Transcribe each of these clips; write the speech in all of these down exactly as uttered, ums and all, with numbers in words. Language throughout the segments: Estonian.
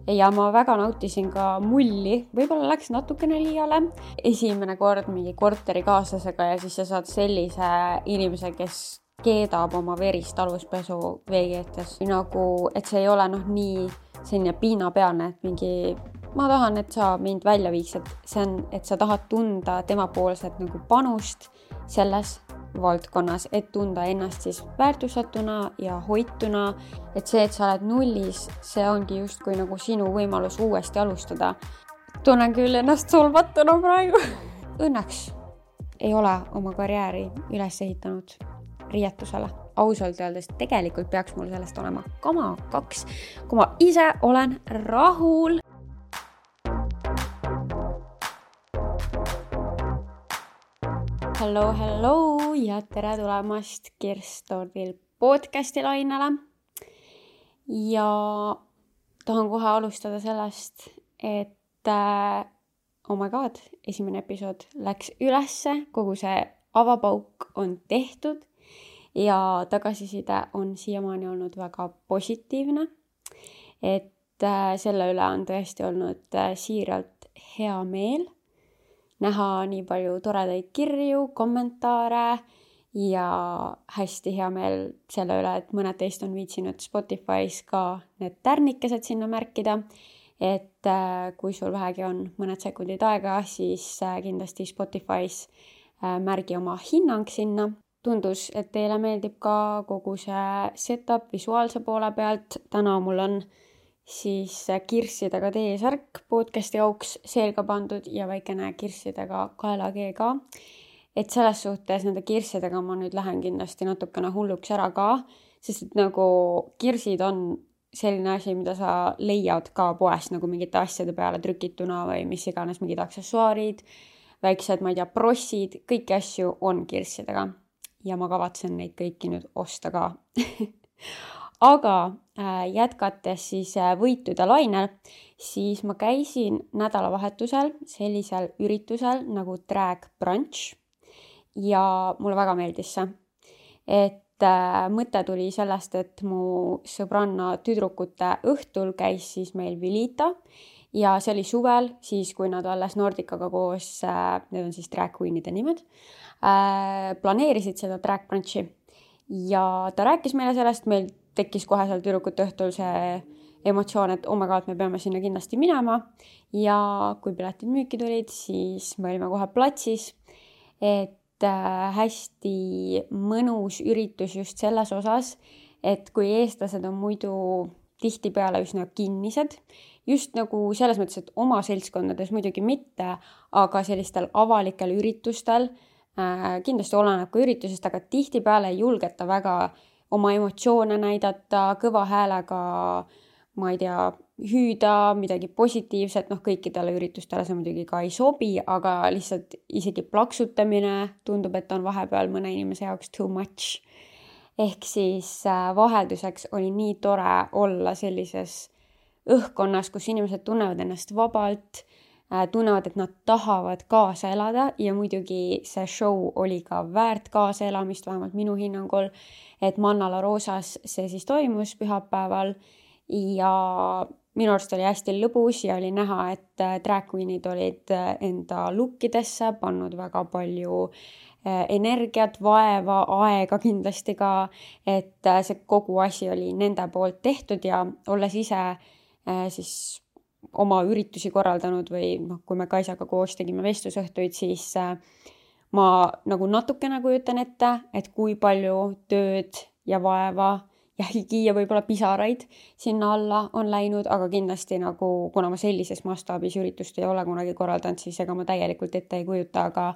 ja ma väga nautisin ka mulli, võib-olla läks natukene liiale. Esimene kord mingi korterikaaslasega ja siis sa saad sellise inimese, kes keedab oma verist aluspesu veegeetes. Nagu, et see ei ole noh nii selline piinapealne, et mingi ma tahan, et sa mind välja viiksid. See on, et sa tahad tunda temapoolset nagu panust selles valdkonnas, et tunda ennast siis väärtustatuna ja hoituna, et see, et sa oled nullis, see ongi justkui nagu sinu võimalus uuesti alustada. Tunnen küll ennast solvatuna praegu. Õnneks ei ole oma karjääri üles ehitanud riietusele. Ausalt öeldes tegelikult peaks mul sellest olema kama kaks, kui ma ise olen rahul. Hello, hello ja tere tulemast Kirstordil podcasti lainele. Ja tahan kohe alustada sellest, et äh, oh my god, esimene episood läks ülesse, kogu see avapauk on tehtud ja tagasiside on siiamaani olnud väga positiivne. Et äh, selle üle on tõesti olnud äh, siiralt hea meel. Näha nii palju toredaid kirju, kommentaare ja hästi hea meel selle üle, et mõned teist on viitsinud Spotify's ka need tärnikesed sinna märkida. Et kui sul vähegi on mõned sekundid aega, siis kindlasti Spotify's märgi oma hinnang sinna. Tundus, et teile meeldib ka kogu see setup visuaalse poole pealt. Täna mul on siis kirssidega teesärk podcasti jauks selga pandud ja väikene kirssidega kaelakee ka. Et selles suhtes nende kirssidega ma nüüd lähen kindlasti natukene hulluks ära ka, sest et nagu kirsid on selline asi, mida sa leiad ka poest nagu mingite asjade peale trükituna või mis iganes, mingid aksessuaarid, väiksed, ma ei tea, prossid, kõiki asju on kirssidega ja ma kavatsen neid kõiki nüüd osta ka. Aga äh, jätkates siis äh, võitude lainel, siis ma käisin nädalavahetusel sellisel üritusel nagu Drag Brunch ja mulle väga meeldis see. Et äh, mõte tuli sellest, et mu sõbranna tüdrukute õhtul käis siis meil Vilita ja see oli suvel, siis kui nad alles Nordikaga koos, äh, need on siis drag queenide nimed, äh, planeerisid seda Drag Brunchi ja ta rääkis meile sellest, meil tekkis kohe seal tüdrukute õhtul see emotsioon, et oh my god, me peame sinna kindlasti minema ja kui piletid müüki tulid, siis me olime kohe platsis, et äh, hästi mõnus üritus just selles osas, et kui eestlased on muidu tihtipeale üsna kinnised, just nagu selles mõttes, et oma seltskondades muidugi mitte, aga sellistel avalikel üritustel äh, kindlasti oleneb ka üritusest, aga tihtipeale ei julgeta väga oma emotsioone näidata, kõva häälega, ma ei tea, hüüda, midagi positiivset, noh kõikidele üritustele see muidugi ka ei sobi, aga lihtsalt isegi plaksutamine tundub, et on vahepeal mõne inimese jaoks too much. Ehk siis vahelduseks oli nii tore olla sellises õhkkonnas, kus inimesed tunnevad ennast vabalt, tunnevad, et nad tahavad kaasa elada ja muidugi see show oli ka väärt kaasaelamist, vähemalt minu hinnangul, et Mannala Roosas see siis toimus pühapäeval ja minu arust oli hästi lõbus ja oli näha, et drag queenid olid enda lukkidesse pannud väga palju energiat, vaeva, aega kindlasti ka, et see kogu asi oli nende poolt tehtud ja olles ise siis oma üritusi korraldanud või noh, kui me Kaisaga koos tegime vestlusõhtuid, siis ma nagu natukene kujutan ette, et kui palju tööd ja vaeva ja higi ja võib-olla pisaraid sinna alla on läinud, aga kindlasti nagu, kuna ma sellises mastaabis üritust ei ole kunagi korraldanud, siis ega ma täielikult ette ei kujuta, aga,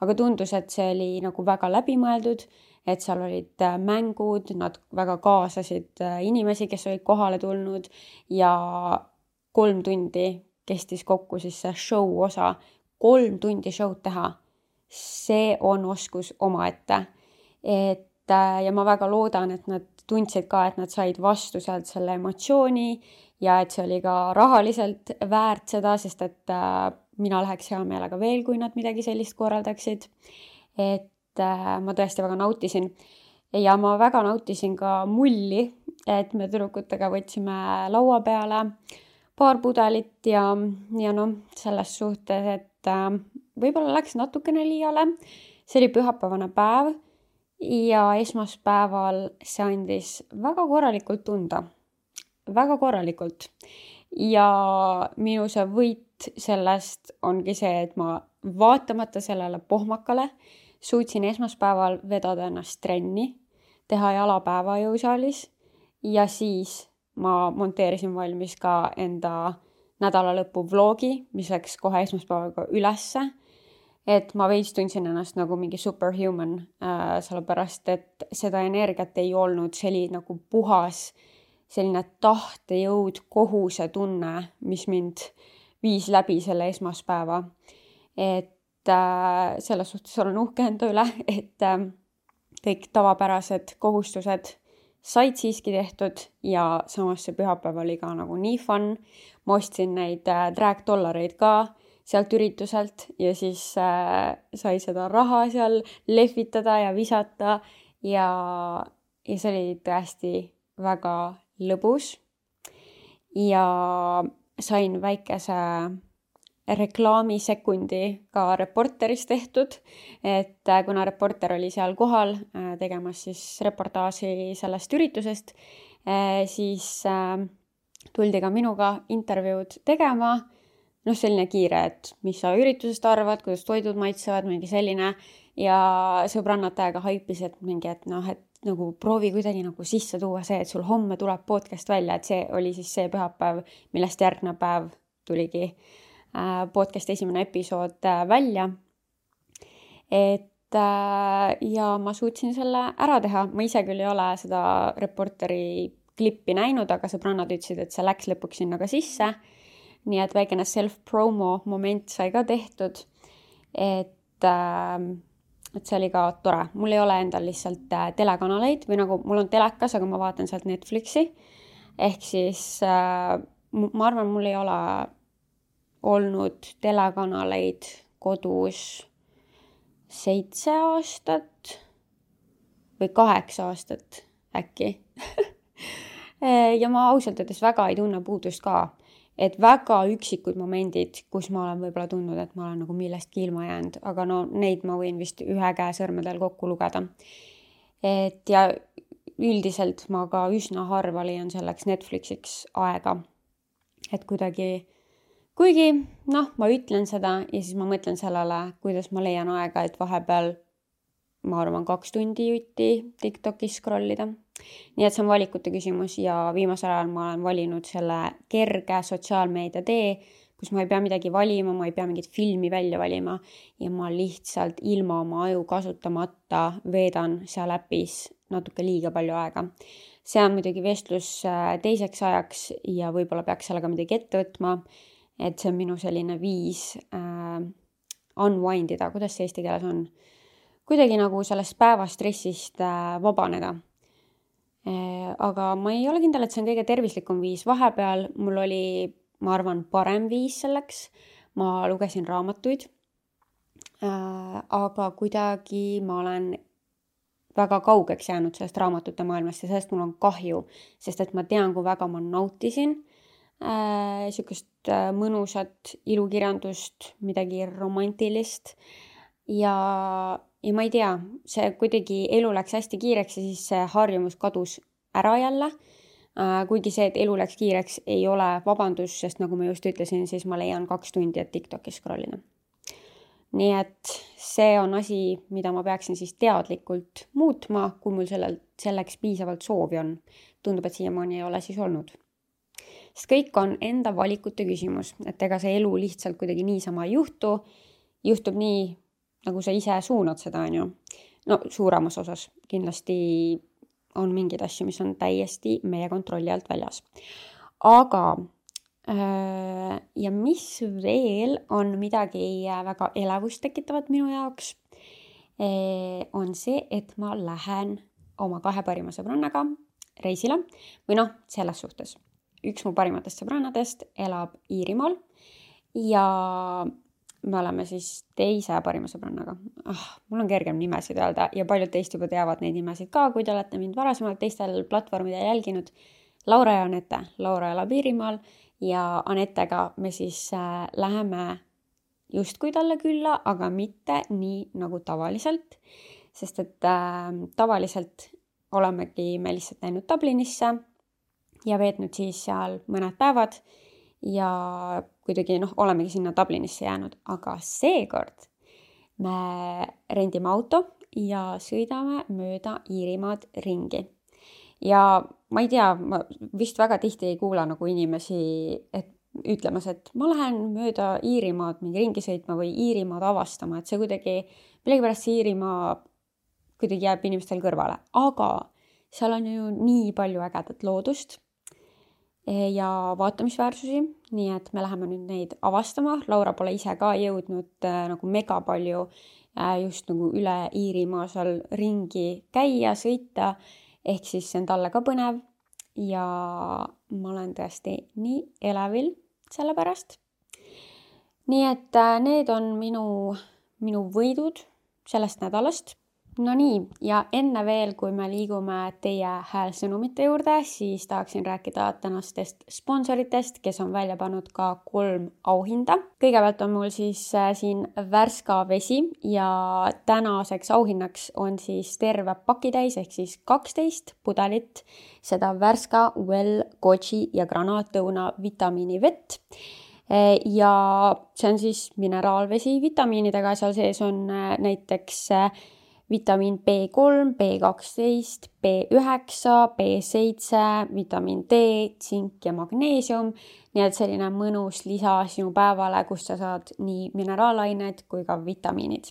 aga tundus, et see oli nagu väga läbimõeldud, et seal olid mängud, nad väga kaasasid inimesi, kes olid kohale tulnud ja kolm tundi kestis kokku siis see show osa, kolm tundi show'd teha. See on oskus omaette. Et, ja ma väga loodan, et nad tundsid ka, et nad said vastu sealt selle emotsiooni ja et see oli ka rahaliselt väärt seda, sest et äh, mina läheks hea meelega veel, kui nad midagi sellist korraldaksid. Et äh, ma tõesti väga nautisin. Ja ma väga nautisin ka mulli, et me tüdrukutega võtsime laua peale paar pudelit ja, ja noh, selles suhtes, et äh, võib-olla läks natukene liiale. See oli pühapäevane päev ja esmaspäeval see andis väga korralikult tunda. Väga korralikult. Ja minu see võit sellest ongi see, et ma vaatamata sellele pohmakale suutsin esmaspäeval vedada ennast trenni, teha jalapäeva jõusaalis ja siis ma monteerisin valmis ka enda nädalalõpu vlogi, mis läks kohe esmaspäevaga ülesse. Et ma veits tundsin ennast nagu mingi superhuman, äh, sellepärast, et seda energiat ei olnud, see oli nagu puhas selline tahtejõud, kohuse tunne, mis mind viis läbi selle esmaspäeva. Et äh, selles suhtes olen uhke enda üle, et äh, kõik tavapärased kohustused said siiski tehtud ja samas see pühapäev oli ka nagu nii fun. Ma ostsin neid äh, drag-dollareid ka sealt ürituselt ja siis äh, sai seda raha seal lehvitada ja visata ja, ja see oli tõesti väga lõbus ja sain väikese reklaamisekundi ka Reporteris tehtud, et kuna Reporter oli seal kohal tegemas siis reportaaži sellest üritusest, siis tuldi ka minuga intervjuud tegema. Noh, selline kiire, et mis sa üritusest arvad, kuidas toidud maitsevad, mingi selline ja sõbrannad täiega haipis, et mingi, et noh, et nagu proovi kuidagi nagu sisse tuua see, et sul homme tuleb podcast välja, et see oli siis see pühapäev, millest järgnev päev tuligi podcast esimene episood välja. Et ja ma suutsin selle ära teha. Ma ise küll ei ole seda Reporteri klippi näinud, aga sõbrannad ütlesid, et see läks lõpuks sinna ka sisse. Nii et väikene self-promo moment sai ka tehtud. Et, et see oli ka tore. Mul ei ole endal lihtsalt telekanaleid või nagu mul on telekas, aga ma vaatan sealt Netflixi. Ehk siis ma arvan, mul ei ole olnud telekanaleid kodus seitse aastat või kaheksa aastat äkki. Ja ma ausalt öeldes väga ei tunne puudust ka, et väga üksikud momendid, kus ma olen võib-olla tundnud, et ma olen nagu millestki ilma jäänud, aga no neid ma võin vist ühe käe sõrmedel kokku lugeda. Et ja üldiselt ma ka üsna harva leian selleks Netflixiks aega, et kuidagi Kuigi, noh, ma ütlen seda ja siis ma mõtlen sellele, kuidas ma leian aega, et vahepeal, ma arvan, kaks tundi jutti TikTokis scrollida. Nii et see on valikute küsimus ja viimasel ajal ma olen valinud selle kerge sotsiaalmeedia tee, kus ma ei pea midagi valima, ma ei pea mingit filmi välja valima ja ma lihtsalt ilma oma aju kasutamata veedan seal äpis natuke liiga palju aega. See on muidugi vestlus teiseks ajaks ja võib-olla peaks sellega midagi ette võtma. Et see on minu selline viis äh, unwindida, kuidas see eesti keeles on. Kuidagi nagu sellest päevastressist äh, vabaneda. Äh, aga ma ei ole kindel, et see on kõige tervislikum viis. Vahepeal mul oli, ma arvan, parem viis selleks. Ma lugesin raamatuid. Äh, aga kuidagi ma olen väga kaugeks jäänud sellest raamatute maailmast ja sellest mul on kahju, sest et ma tean, kui väga ma nautisin Äh, sükust äh, mõnusat ilukirjandust, midagi romantilist ja, ja ma ei tea, see kuidagi elu läks hästi kiireks ja siis see harjumus kadus ära jälle, äh, kuigi see, et elu läks kiireks ei ole vabandus, sest nagu ma just ütlesin, siis ma leian kaks tundi, et TikTokis scrollida. Nii et see on asi, mida ma peaksin siis teadlikult muutma, kui mul sellel, selleks piisavalt soovi on. Tundub, et siiamaani ei ole siis olnud. Sest kõik on enda valikute küsimus, et ega see elu lihtsalt kuidagi niisama ei juhtu, juhtub nii, nagu sa ise suunad seda, on ju. No suuremas osas kindlasti on mingid asju, mis on täiesti meie kontrolli alt väljas. Aga äh, ja mis veel on midagi väga elevust tekitavat minu jaoks, äh, on see, et ma lähen oma kahe parima sõbrannaga reisile või noh, selles suhtes. Üks mu parimatest sõbrannadest elab Iirimaal ja me oleme siis teise parima sõbrannaga. Ah, mul on kergem nimesid öelda ja paljud teist juba teavad neid nimesid ka, kui te olete mind varasemalt teistel platvormidel jälginud. Laura ja Anette. Laura elab Iirimaal ja Anetega me siis äh, läheme justkui talle külla, aga mitte nii nagu tavaliselt, sest et äh, tavaliselt olemegi me lihtsalt läinud Dublinisse ja veetnud siis seal mõned päevad ja kuidagi noh, olemegi sinna Dublinisse jäänud, aga seekord me rendime auto ja sõidame mööda Iirimaad ringi. Ja ma ei tea, ma vist väga tihti ei kuula nagu inimesi, et ütlemas, et ma lähen mööda Iirimaad mingi ringi sõitma või Iirimaad avastama, et see kuidagi, millegipärast see Iirimaa kuidagi jääb inimestel kõrvale, aga seal on ju nii palju ägedat loodust ja vaatamisväärsusi, nii et me läheme nüüd neid avastama. Laura pole ise ka jõudnud äh, nagu mega palju äh, just nagu üle Iirimaa seal ringi käia, sõita, ehk siis see on talle ka põnev ja ma olen tõesti nii elevil selle pärast. Nii et äh, need on minu, minu võidud sellest nädalast. No nii, ja enne veel, kui me liigume teie häälsõnumite juurde, siis tahaksin rääkida tänastest sponsoritest, kes on välja pannud ka kolm auhinda. Kõigepealt on mul siis siin Värska vesi ja tänaseks auhinnaks on siis terve pakitäis ehk siis kaksteist pudelit seda Värska Well Goji ja granaatõuna vitamiinivett. Ja see on siis mineraalvesi vitamiinidega, seal sees on näiteks vitamiin B kolm, B kaksteist, B üheksa, B seitse, vitamiin D, tsink ja magneesium. Nii et selline mõnus lisa sinu päevale, kus sa saad nii mineraalained kui ka vitamiinid.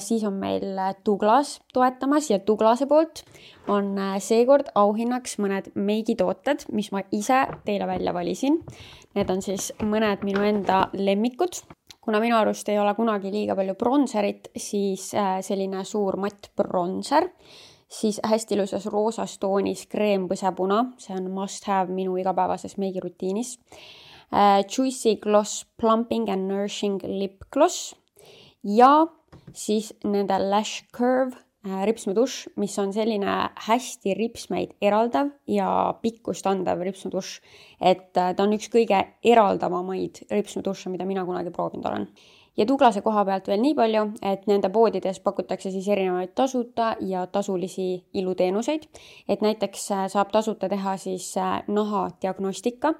Siis on meil Douglas toetamas ja Douglase poolt on seekord auhinnaks mõned meigitooted, mis ma ise teile välja valisin. Need on siis mõned minu enda lemmikud. Kuna minu arust ei ole kunagi liiga palju bronzerit, siis selline suur matt bronzer, siis hästi ilusas roosas toonis kreempõsepuna, see on must have minu igapäevases meigirutiinis. Juicy Gloss Plumping and Nourishing Lip Gloss ja siis nende Lash Curve ripsmedušš, mis on selline hästi ripsmeid eraldav ja pikkust andav ripsmedušš, et ta on üks kõige eraldavamaid ripsmedušše, mida mina kunagi proovinud olen. Ja Douglase koha pealt veel nii palju, et nende poodides pakutakse siis erinevaid tasuta ja tasulisi iluteenuseid, et näiteks saab tasuta teha siis naha diagnostika,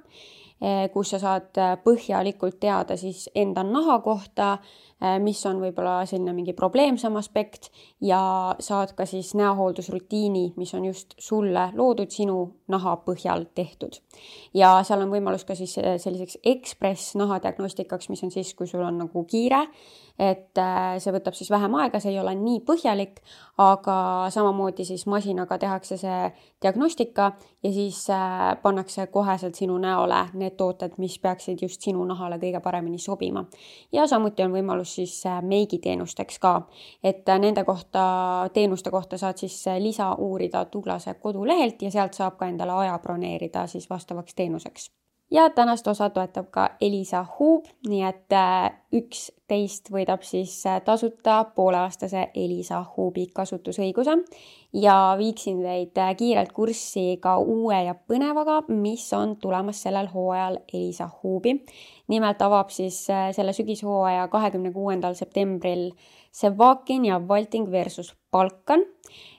kus sa saad põhjalikult teada siis enda naha kohta, mis on võib-olla selline mingi probleemsam aspekt ja saad ka siis näohooldusrutiini, mis on just sulle loodud sinu naha põhjal tehtud. Ja seal on võimalus ka siis selliseks ekspress nahadiagnostikaks, mis on siis, kui sul on nagu kiire, et see võtab siis vähem aega, see ei ole nii põhjalik, aga samamoodi siis masinaga tehakse see diagnostika ja siis pannakse koheselt sinu näole need tooted, mis peaksid just sinu nahale kõige paremini sobima. Ja samuti on võimalus siis meigiteenusteks ka, et nende kohta, teenuste kohta saad siis lisa uurida Douglase kodulehelt ja sealt saab ka endale aja broneerida siis vastavaks teenuseks. Ja tänast osa toetab ka Elisa Hub, nii et üksteist võidab siis tasuta pooleaastase Elisa Hubi kasutusõiguse ja viiksin teid kiirelt kurssi ka uue ja põnevaga, mis on tulemas sellel hooajal Elisa Hubi. Nimelt avab siis selle sügishooaja kahekümne kuuendal septembril Sevakin ja Vaulting versus Balkan.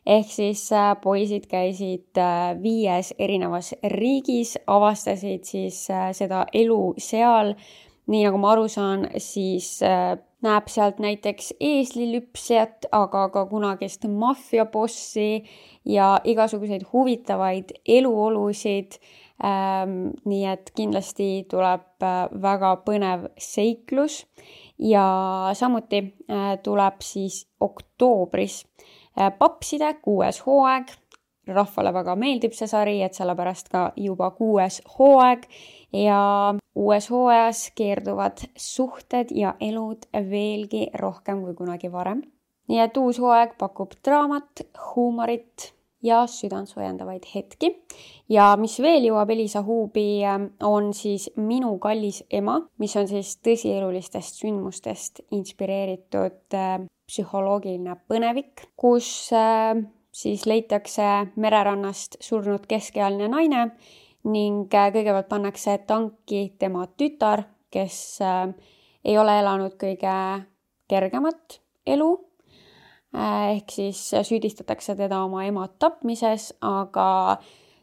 Ehk siis poisid käisid viies erinevas riigis, avastasid siis seda elu seal. Nii nagu ma aru saan, siis näeb sealt näiteks eeslilüpsjat, aga ka kunagist maffiabossi ja igasuguseid huvitavaid eluolusid. Nii et kindlasti tuleb väga põnev seiklus ja samuti tuleb siis oktoobris Papside kuues hooaeg. Rahvale väga meeldib see sari, et sellepärast ka juba kuues hooaeg ja uues hooajas keerduvad suhted ja elud veelgi rohkem kui kunagi varem. Nii et uus hooaeg pakub draamat, huumorit ja südantsojendavaid hetki. Ja mis veel jõuab Elisa Hubi on siis Minu kallis ema, mis on siis tõsielulistest sündmustest inspireeritud psühholoogiline põnevik, kus siis leitakse mererannast surnud keskealine naine ning kõigepealt pannakse tanki tema tütar, kes ei ole elanud kõige kergemat elu, ehk siis süüdistatakse teda oma ema tapmises, aga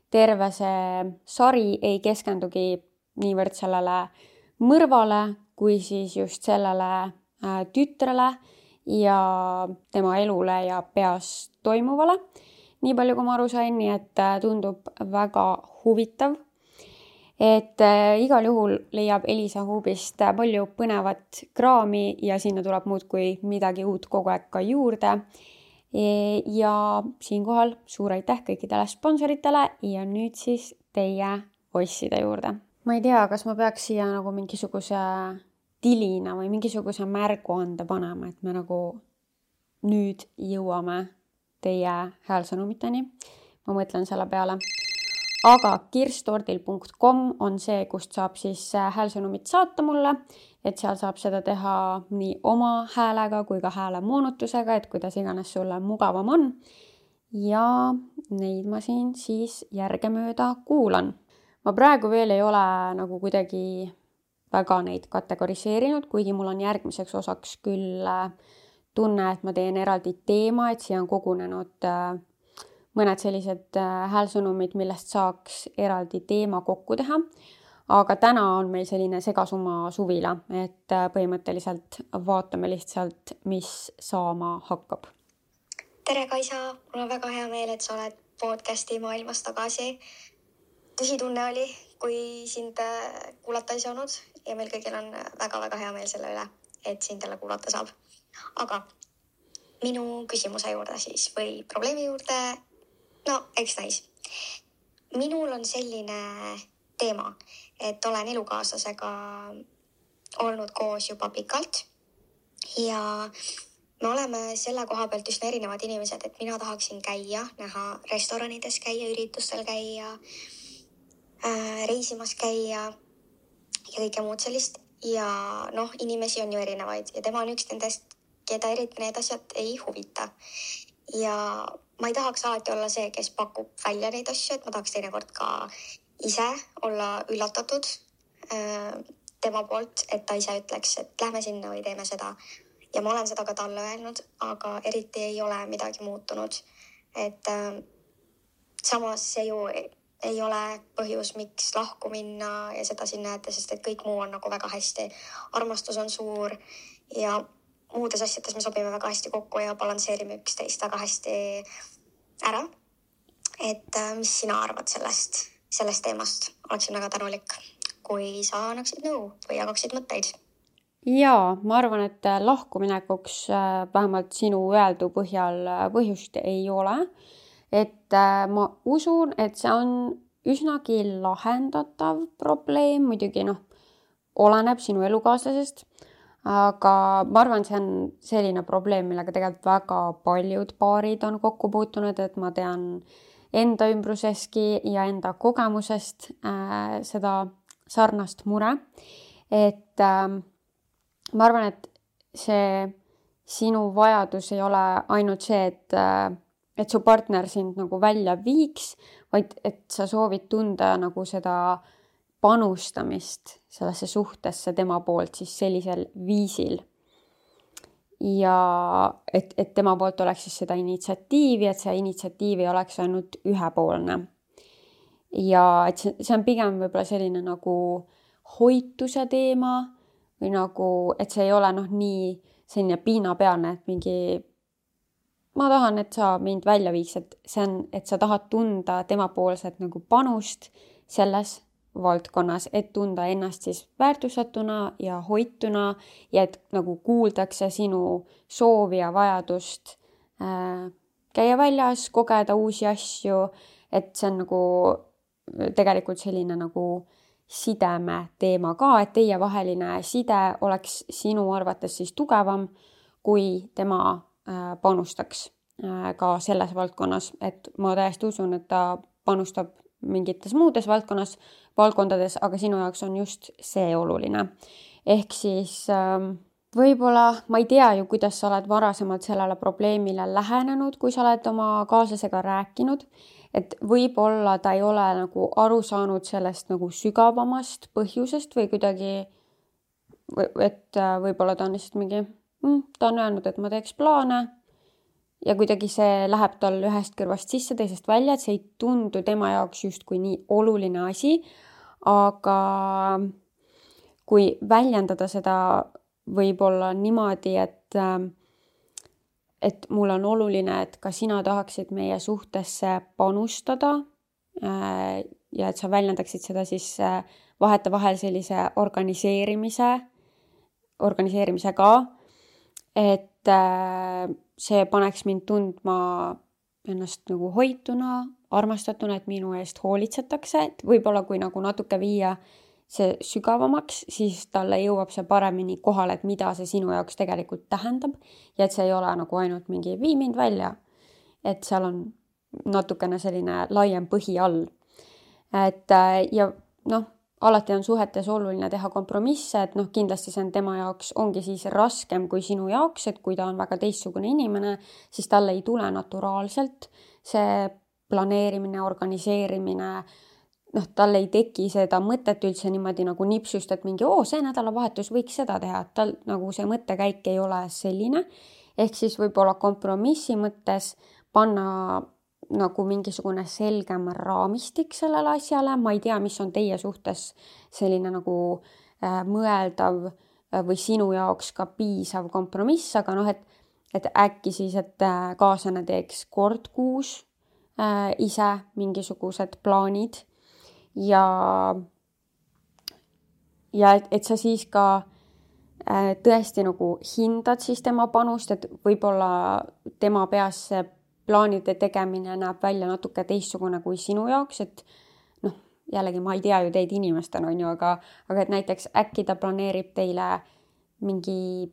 terve see sari ei keskendugi niivõrd sellele mõrvale, kui siis just sellele tütrele ja tema elule ja peas toimuvale. Nii palju, kui ma aru sain, nii et tundub väga huvitav. Et igal juhul leiab Elisa Hubist palju põnevat kraami ja sinna tuleb muudkui midagi uut kogu aeg ka juurde. Ja siinkohal suur aitäh kõikidele sponsoritele ja nüüd siis teie osside juurde. Ma ei tea, kas ma peaks siia nagu mingisuguse tilina või mingisuguse märguande panema, et me nagu nüüd jõuame teie häälsõnumiteni. Ma mõtlen selle peale. Aga kirstordil punkt com on see, kust saab siis häälsõnumit saata mulle, et seal saab seda teha nii oma häälega kui ka hääle moonutusega, et kuidas iganes sulle mugavam on. Ja neid ma siin siis järgemööda kuulan. Ma praegu veel ei ole nagu kuidagi väga neid kategoriseerinud, kuigi mul on järgmiseks osaks küll tunne, et ma teen eraldi teema, et siia on kogunenud mõned sellised häälsõnumid, millest saaks eraldi teema kokku teha. Aga täna on meil selline segasumma suvila, et põhimõtteliselt vaatame lihtsalt, mis saama hakkab. Tere Kaisa, mul on väga hea meel, et sa oled podcasti maailmas tagasi. Tõsitunne oli, kui sind kuulata ei saanud ja meil kõigil on väga-väga hea meel selle üle, et sind jälle kuulata saab. Aga minu küsimuse juurde siis või probleemi juurde, no eks näis. Minul on selline teema, et olen elukaaslasega olnud koos juba pikalt ja me oleme selle koha pealt üsna erinevad inimesed, et mina tahaksin käia, näha restoranides käia, üritustel käia, reisimas käia ja kõike muud sellist. Ja noh, inimesi on ju erinevaid ja tema on üks nendest, keda eriti need asjad ei huvita. Ja ma ei tahaks alati olla see, kes pakub välja neid asju, et ma tahaks teinekord ka ise olla üllatatud tema poolt, et ta ise ütleks, et lähme sinna või teeme seda. Ja ma olen seda ka talle öelnud, aga eriti ei ole midagi muutunud. Et samas see ju ei ole põhjus, miks lahku minna ja seda siin näete, sest et kõik muu on nagu väga hästi. Armastus on suur ja muudes asjades me sobime väga hästi kokku ja balansseerime üksteist väga hästi ära. Et mis sina arvad sellest, sellest teemast? Oleksin väga tänulik, kui sa annaksid nõu või jagaksid mõtteid. Jaa, ma arvan, et lahkuminekuks vähemalt sinu öeldu põhjal põhjust ei ole. Et ma usun, et see on üsnagi lahendatav probleem, muidugi noh, oleneb sinu elukaaslasest, aga ma arvan, see on selline probleem, millega tegelikult väga paljud paarid on kokku puutunud, et ma tean enda ümbruseski ja enda kogemusest äh, seda sarnast mure, et äh, ma arvan, et see sinu vajadus ei ole ainult see, et äh, et su partner sind nagu välja viiks, vaid et sa soovid tunda nagu seda panustamist sellesse suhtesse tema poolt siis sellisel viisil. Ja et, et tema poolt oleks siis seda initsiatiivi, et see initsiatiiv ei oleks ainult ühepoolne. Ja et see, see on pigem võib-olla selline nagu hoituse teema või nagu, et see ei ole noh nii selline piinapealne, et mingi ma tahan, et sa mind välja viiks, et see on, et sa tahad tunda temapoolset nagu panust selles valdkonnas, et tunda ennast siis väärtustatuna ja hoituna ja et nagu kuuldakse sinu soovi ja vajadust äh, käia väljas, kogeda uusi asju, et see on nagu tegelikult selline nagu sideme teema ka, et teie vaheline side oleks sinu arvates siis tugevam, kui tema panustaks ka selles valdkonnas, et ma täiesti usun, et ta panustab mingites muudes valdkonnas, valdkondades, aga sinu jaoks on just see oluline. Ehk siis võib-olla, ma ei tea ju, kuidas sa oled varasemalt sellele probleemile lähenenud, kui sa oled oma kaaslasega rääkinud, et võib-olla ta ei ole nagu aru saanud sellest nagu sügavamast põhjusest või kuidagi, et võib-olla ta on lihtsalt mingi, mm, ta on öelnud, et ma teeks plaane ja kuidagi see läheb tal ühest kõrvast sisse, teisest välja, et see ei tundu tema jaoks justkui nii oluline asi, aga kui väljendada seda võib-olla niimoodi, et et mul on oluline, et ka sina tahaksid meie suhtesse panustada ja et sa väljendaksid seda siis vahetevahel sellise organiseerimise, organiseerimisega, et see paneks mind tundma ennast nagu hoituna, armastatuna, et minu eest hoolitsetakse, et võib-olla kui nagu natuke viia see sügavamaks, siis talle jõuab see paremini kohale, et mida see sinu jaoks tegelikult tähendab ja et see ei ole nagu ainult mingi vii mind välja, et seal on natukene selline laiem põhi all. Et ja noh, alati on suhetes oluline teha kompromisse, et noh, kindlasti see on tema jaoks ongi siis raskem kui sinu jaoks, et kui ta on väga teistsugune inimene, siis talle ei tule naturaalselt see planeerimine, organiseerimine, noh, tal ei teki seda mõtet üldse niimoodi nagu nipsust, et mingi, oo, see nädalavahetus võiks seda teha, et tal nagu see mõttekäik ei ole selline, ehk siis võib-olla kompromissi mõttes panna nagu mingisugune selgem raamistik sellele asjale, ma ei tea, mis on teie suhtes selline nagu äh, mõeldav või sinu jaoks ka piisav kompromiss, aga noh, et, et äkki siis, et äh, kaaslane teeks kord kuus äh, ise mingisugused plaanid, ja ja et, et sa siis ka äh, tõesti nagu hindad siis tema panust, et võib-olla tema peas see plaanide tegemine näeb välja natuke teistsugune kui sinu jaoks, et noh, jällegi ma ei tea ju teid inimestena on ju, aga, aga et näiteks äkki ta planeerib teile mingi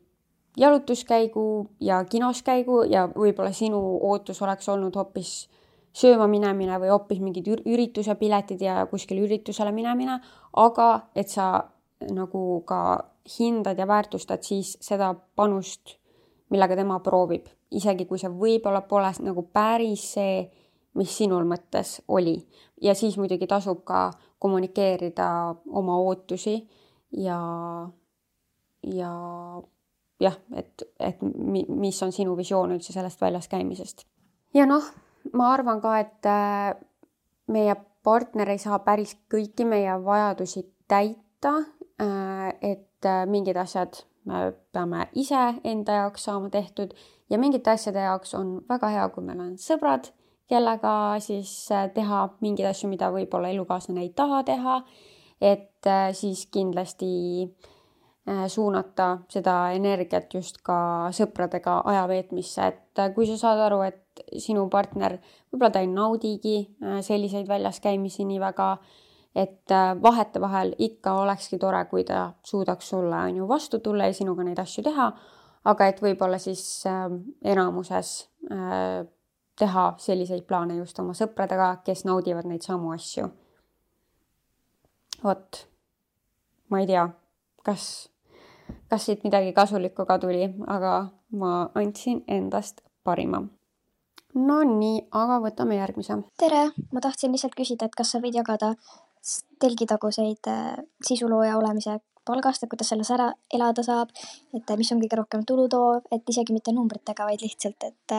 jalutuskäigu ja kinoskäigu ja võib-olla sinu ootus oleks olnud hoopis sööma minemine või hoopis mingid ürituse piletid ja kuskil üritusele minemine, aga et sa nagu ka hindad ja väärtustad siis seda panust, millega tema proovib, isegi kui see võib-olla pole nagu päris see, mis sinul mõttes oli. Ja siis muidugi tasub ka kommunikeerida oma ootusi ja, ja jah, et, et mis on sinu visioon üldse sellest väljas käimisest. Ja noh, ma arvan ka, et meie partner ei saa päris kõiki meie vajadusi täita, et mingid asjad me peame ise enda jaoks saama tehtud ja mingite asjade jaoks on väga hea, kui meil on sõbrad, kellega siis teha mingeid asju, mida võib-olla elukaaslane ei taha teha, et siis kindlasti suunata seda energiat just ka sõpradega ajaveetmisse, et kui sa saad aru, et sinu partner, võib-olla ta ei naudigi selliseid väljas käimisi nii väga, et vahete vahel ikka olekski tore, kui ta suudaks sulle on ju vastu tulla ja sinuga neid asju teha, aga et võib-olla siis enamuses teha selliseid plaane just oma sõpradega, kes naudivad neid samu asju. Vot, ma ei tea, kas, kas siit midagi kasulikku ka tuli, aga ma andsin endast parima. No nii, aga võtame järgmise. Tere, ma tahtsin lihtsalt küsida, et kas sa võid jagada telgitaguseid sisulooja olemise palgast, et kuidas selles ära elada saab, et mis on kõige rohkem tulu toov, et isegi mitte numbritega, vaid lihtsalt, et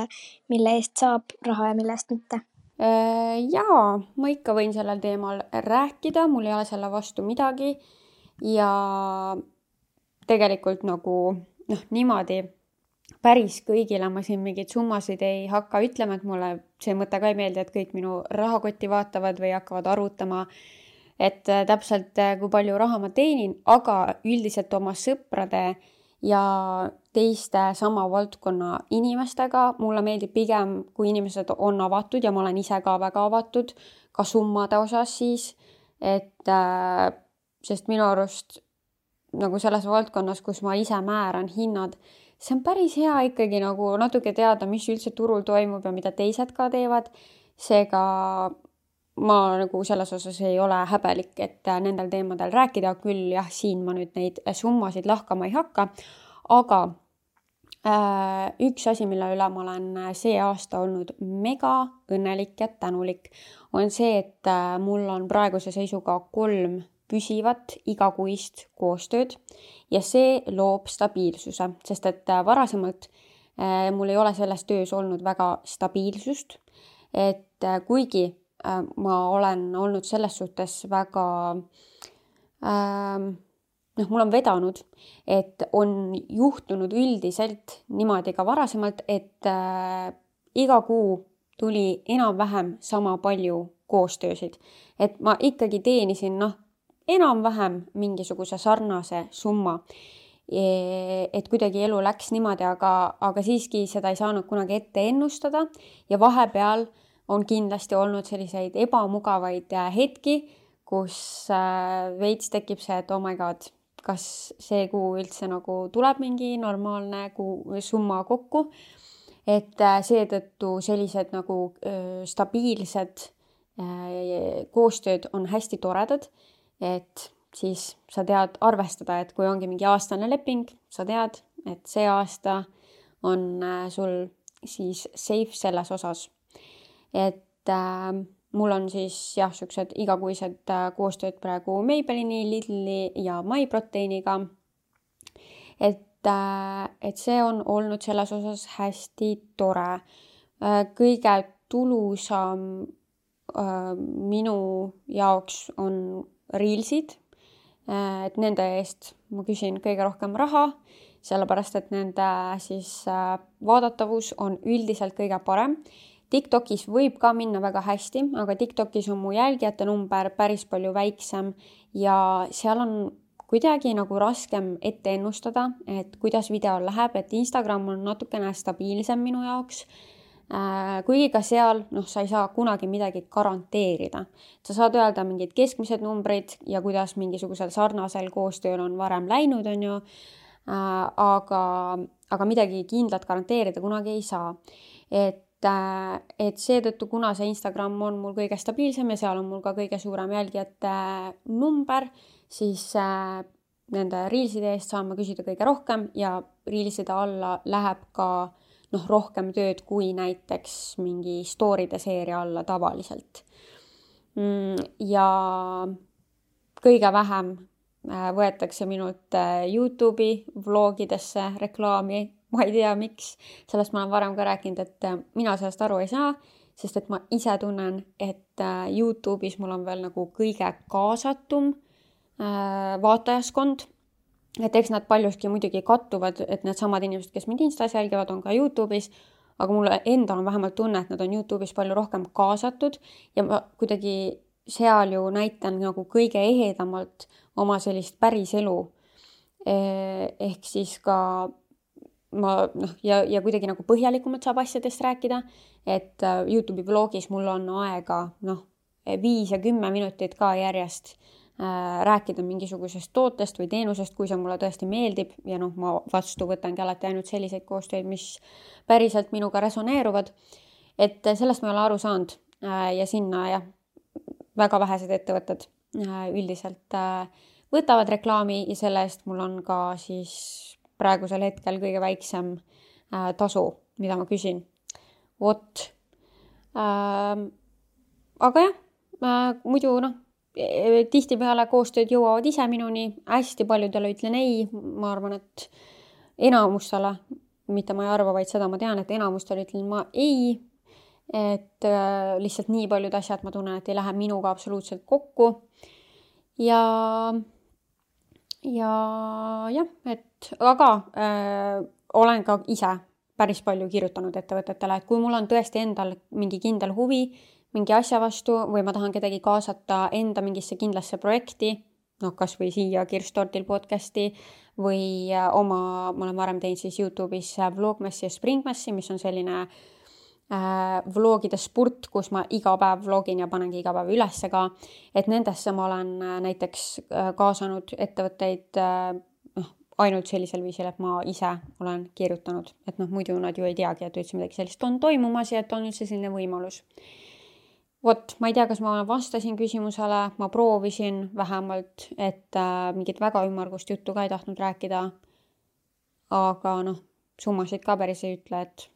mille eest saab raha ja mille eest mitte. Jaa, ma ikka võin sellel teemal rääkida, mul ei ole selle vastu midagi ja tegelikult nagu noh, niimoodi päris kõigile ma siin mingeid summasid ei hakka ütlema, et mulle see mõte ka ei meeldi, et kõik minu rahakotti vaatavad või hakkavad arvutama, et täpselt kui palju raha ma teenin, aga üldiselt oma sõprade ja teiste sama valdkonna inimestega mulle meeldib pigem, kui inimesed on avatud ja ma olen ise ka väga avatud, ka summade osas siis, et sest minu arust nagu selles valdkonnas, kus ma ise määran hinnad, see on päris hea ikkagi nagu natuke teada, mis üldse turul toimub ja mida teised ka teevad. Seega ma nagu selles osas ei ole häbelik, et nendel teemadel rääkida küll, jah, siin ma nüüd neid summasid lahkama ei hakka, aga üks asi, mille üle ma olen see aasta olnud mega õnnelik ja tänulik, on see, et mul on praeguse seisuga kolm püsivat igakuist koostööd ja see loob stabiilsuse, sest et varasemalt mul ei ole selles töös olnud väga stabiilsust, et kuigi ma olen olnud selles suhtes väga, ähm, noh, mul on vedanud, et on juhtunud üldiselt niimoodi ka varasemalt, et äh, iga kuu tuli enam-vähem sama palju koostöösid. Et ma ikkagi teenisin, noh, enam-vähem mingisuguse sarnase summa. Et kuidagi elu läks niimoodi, aga, aga siiski seda ei saanud kunagi ette ennustada ja vahepeal on kindlasti olnud selliseid ebamugavaid hetki, kus veits tekib see, et oh my god, kas see kuu üldse nagu tuleb mingi normaalne kuu summa kokku. Et seetõttu sellised nagu stabiilsed koostööd on hästi toredad, et siis sa tead arvestada, et kui ongi mingi aastane leping, sa tead, et see aasta on sul siis safe selles osas. Et äh, mul on siis jah, siuksed igakuised äh, koostööd praegu Maybellini, Lidli ja MyProteiniga. Et, äh, et see on olnud selles osas hästi tore. Äh, kõige tulusam äh, minu jaoks on Reelsid. Et nende eest ma küsin kõige rohkem raha, sellepärast et nende siis vaadatavus on üldiselt kõige parem. TikTokis võib ka minna väga hästi, aga TikTokis on mu jälgijate number päris palju väiksem ja seal on kuidagi nagu raskem ette ennustada, et kuidas video läheb, et Instagram on natukene stabiilsem minu jaoks. Kuigi ka seal, noh, sa ei saa kunagi midagi garanteerida. Sa saad öelda mingid keskmised numbrid ja kuidas mingisugusel sarnasel koostööl on varem läinud, on ju, aga, aga midagi kindlat garanteerida kunagi ei saa. Et, et seetõttu, kuna see Instagram on mul kõige stabiilsem ja seal on mul ka kõige suurem jälgijate number, siis nende Reelside eest saan ma küsida kõige rohkem ja Reelside alla läheb ka noh, rohkem tööd kui näiteks mingi story'de seeria alla tavaliselt. Ja kõige vähem võetakse minult YouTube'i vlogidesse reklaami. Ma ei tea, miks. Sellest ma olen varem ka rääkinud, et mina sellest aru ei saa, sest et ma ise tunnen, et YouTube'is mul on veel nagu kõige kaasatum vaatajaskond. Et eks nad paljuski muidugi kattuvad, et need samad inimesed, kes mind Instas jälgivad, on ka YouTube'is, aga mulle endal on vähemalt tunne, et nad on YouTube'is palju rohkem kaasatud ja ma kuidagi seal ju näitan nagu kõige ehedamalt oma sellist päris elu. Ehk siis ka ma, noh, ja, ja kuidagi nagu põhjalikumalt saab asjadest rääkida, et YouTube'i vlogis mul on aega noh, viis ja kümme minutit ka järjest rääkida mingisugusest tootest või teenusest, kui see mulle tõesti meeldib ja noh, ma vastu võtangi alati ainult selliseid koostöid, mis päriselt minuga resoneeruvad. Et sellest ma ei ole aru saanud ja sinna jah, väga vähesed ettevõtted üldiselt võtavad reklaami ja selle eest mul on ka siis praegusel hetkel kõige väiksem tasu, mida ma küsin. Vot. Aga jah, muidu noh, tihti peale koostööd jõuavad ise minuni, hästi paljudele ütlen ei, ma arvan, et enamustele, mitte ma ei arva, vaid seda ma tean, et enamustele ütlen ma ei, et äh, lihtsalt nii paljud asjad ma tunnen, et ei lähe minuga absoluutselt kokku ja ja jah, et aga äh, olen ka ise päris palju kirjutanud ettevõtetele, et kui mul on tõesti endal mingi kindel huvi mingi asja vastu või ma tahan kedagi kaasata enda mingisse kindlasse projekti, noh, kas või siia Kirstordil podcasti või oma, ma olen varem teinud siis YouTube'is Vlogmassi ja Springmassi, mis on selline äh, vlogide spurt, kus ma iga päev vlogin ja panengi iga päev ülesse ka, et nendesse ma olen näiteks kaasanud ettevõtteid äh, noh, ainult sellisel viisil, et ma ise olen kirjutanud, et noh, muidu nad ju ei teagi, et üldse midagi sellist on toimumas ja et on üldse selline võimalus. Vot, ma ei tea, kas ma vastasin küsimusele, ma proovisin vähemalt, et äh, mingit väga ümmargust juttu ka ei tahtnud rääkida. Aga noh, summasid ka päris ei ütle, et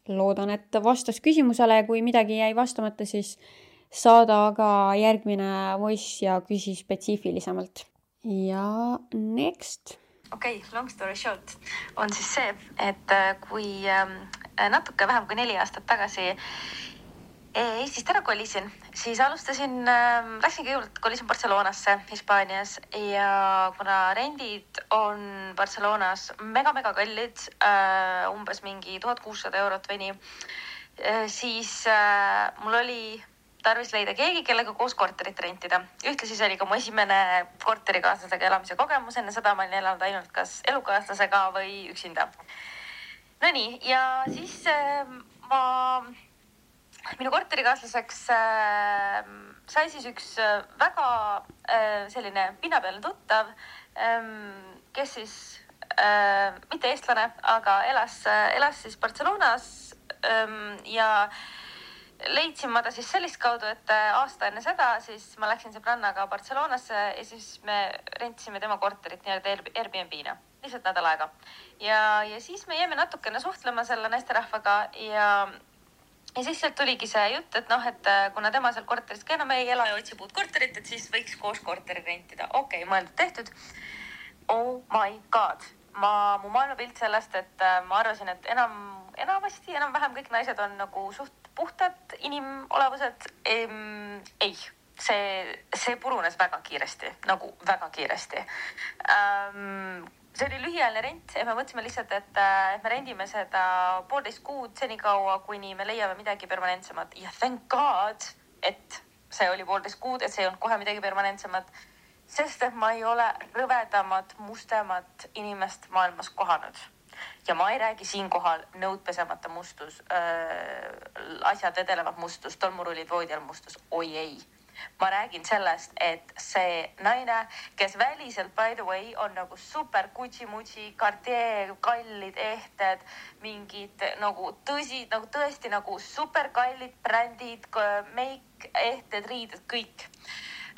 loodan, et vastas küsimusele, kui midagi jäi vastamata, siis saada ka järgmine voice ja küsi spetsiifilisemalt. Ja next. Okei, okay, long story short on siis see, et kui natuke vähem kui neli aastat tagasi Eestist ära kolisin, siis alustasin, läksin kõigepealt kolisin Barcelonasse Hispaanias ja kuna rendid on Barcelonas mega-mega kallid, umbes mingi tuhat kuussada eurot või nii, siis mul oli tarvis leida keegi, kellega koos korterit rentida. Ühtlasi see oli ka mu esimene korterikaaslasega elamise kogemus, enne seda ma olin elanud ainult kas elukaaslasega või üksinda. No nii, ja siis ma... Minu korterikaaslaseks äh, sai siis üks väga äh, selline pinnapealne tuttav, äh, kes siis äh, mitte eestlane, aga elas, elas siis Barcelonas äh, ja leidsin ma ta siis sellist kaudu, et aasta enne seda siis ma läksin sõbrannaga Barcelonasse ja siis me rentisime tema korterit nii-öelda Airbnb-na, lihtsalt nädal aega. Ja, ja siis me jäime natukene suhtlema selle naisterahvaga ja Ja siis sealt tuligi see jutt, et noh, et kuna tema seal korteris ka enam ei ela ja otsib uut korterit, et siis võiks koos korteri rentida. Okei, okay, mõeldud tehtud. Oh my god. Ma, mu maailmapilt sellest, et ma arvasin, et enam, enamasti, enam vähem kõik naised on nagu suht puhtad inimolevused. Ehm, ei, see, see purunes väga kiiresti, nagu väga kiiresti. Ähm, See oli lühiajaline rent ja me mõtlesime lihtsalt, et, et me rendime seda poolteist kuud senikaua, kuni me leiame midagi permanentsemat. Ja thank God, et see oli poolteist kuud, et see ei olnud kohe midagi permanentsemat, sest et ma ei ole rõvedamat, mustemat inimest maailmas kohanud. Ja ma ei räägi siinkohal nõudpesemata mustus, äh, asjad vedelevad mustus, tolmurullid voodial mustus, oi ei. Ma räägin sellest, et see naine, kes väliselt, by the way, on nagu super Gucci-Mucci, Cartier, kallid ehted, mingid nagu tõsi, nagu tõesti nagu super kallid brändid, make, ehted, riided, kõik.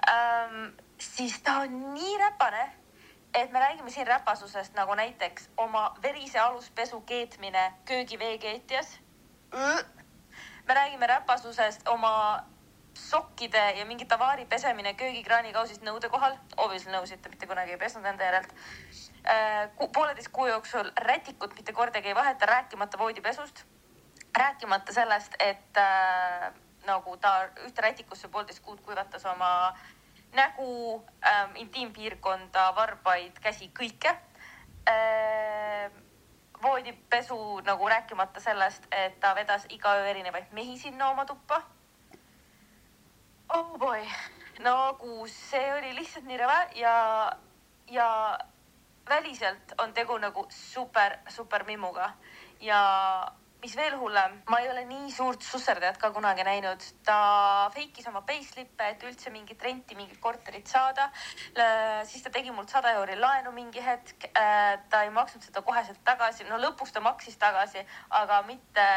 Ähm, siis ta on nii räpane, et me räägime siin räpasusest nagu näiteks oma verise aluspesu keetmine köögiveekeetjas. Me räägime räpasusest oma sokkide ja mingi tavaari pesemine köögikraani kausist nõude kohal. Obviously nõusid, mitte kunagi ei pesnud enda järelt. Pooleteist kuu jooksul rätikut mitte kordagi ei vaheta, rääkimata voodipesust. Rääkimata sellest, et äh, nagu ta ühte rätikusse poolteist kuud kuivatas oma nägu, ähm, intiimpiirkonda, varbaid, käsi, kõike. Äh, voodipesu nagu rääkimata sellest, et ta vedas iga öö erinevaid mehi sinna oma tuppa. Oh boy, nagu see oli lihtsalt nii rõve ja, ja väliselt on tegu nagu super, super mimmuga. Ja mis veel hullem, ma ei ole nii suurt susserdajat ka kunagi näinud. Ta feikis oma payslippe, et üldse mingit renti, mingit korterit saada. Siis ta tegi mult sada euri laenu mingi hetk. Ta ei maksnud seda koheselt tagasi. No lõpuks ta maksis tagasi, aga mitte...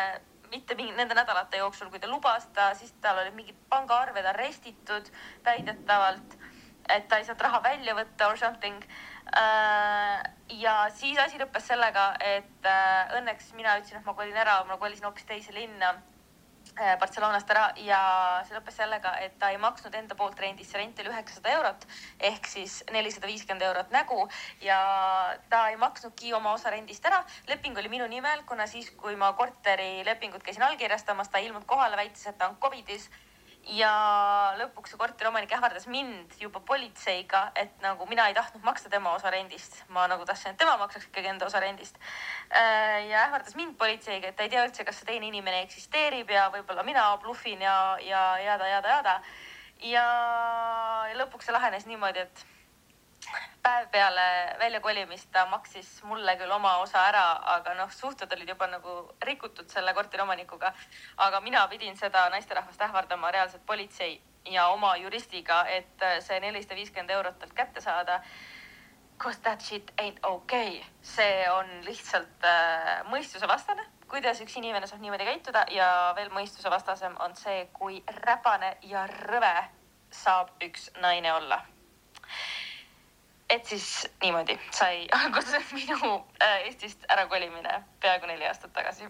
mitte mingi, nende nädalate jooksul, kui ta lubas ta, siis tal oli mingid pangaarved arestitud väidetavalt, et ta ei saanud raha välja võtta or something. Ja siis asi lõppes sellega, et õnneks mina ütlesin, et ma kolin ära, ma kolisin hoopis teise linna Barcelonast ära ja see lõppes sellega, et ta ei maksnud enda poolt rendis, see rent oli üheksasada eurot ehk siis nelisada viiskümmend eurot nägu ja ta ei maksnudki oma osa rendist ära. Leping oli minu nimel, kuna siis, kui ma korteri lepingut käisin allkirjastamas, ta ilmud kohale, väitis, et ta on covidis ja lõpuks see korteriomanik ähvardas mind juba politseiga, et nagu mina ei tahtnud maksta tema osa rendist. Ma nagu tahtsin, et tema maksaks ikkagi enda osa rendist. Ja ähvardas mind politseiga, et ta ei tea üldse, kas see teine inimene eksisteerib ja võib-olla mina bluffin ja, ja jada, jada, jada. Ja lõpuks see lahenes niimoodi, et päev peale väljakolimist ta maksis mulle küll oma osa ära, aga noh, suhted olid juba nagu rikutud selle korteriomanikuga. Aga mina pidin seda naisterahvast ähvardama reaalselt politsei ja oma juristiga, et see nelisada viiskümmend eurot talt kätte saada. Cause that shit ain't okay. See on lihtsalt äh, mõistuse vastane, kuidas üks inimene saab niimoodi käituda ja veel mõistuse vastasem on see, kui räpane ja rõve saab üks naine olla. et siis niimoodi sai alguse minu Eestist ära kolimine peaaegu neli aastat tagasi.